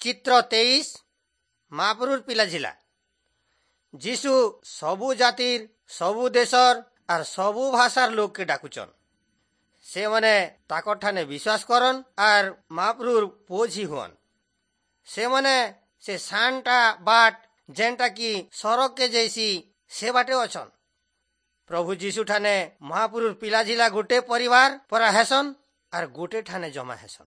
ଚିତ୍ର 23, ମାପୁରୁର ପିଲାଝିଲା। ଯିଶୁ ସବୁ ଜାତିର, ସବୁ ଦେଶର ଆର୍ ସବୁ ଭାଷାର ଲୋକକେ ଡାକୁଚନ୍। ସେମାନେ ତାକର ଠାନେ ବିଶ୍ୱାସ କରନ୍ ଆର୍ ମାପୁରୁର ପୁଅ ଝି ହୁଅନ୍। ସେମାନେ ସେ ସାନଟା ବାଟ, ଯେନ୍ଟା କି ସରଗକେ ଯାଇସି, ସେ ବାଟେ ଅଛନ୍। ପ୍ରଭୁ ଯୀଶୁ ଠାନେ ମହାପୁରୁର ପିଲାଝିଲା ଗୋଟେ ପରିବାର ପରା ହେସନ୍ ଆର୍ ଗୋଟେ ଠାନେ ଜମା ହେସନ୍।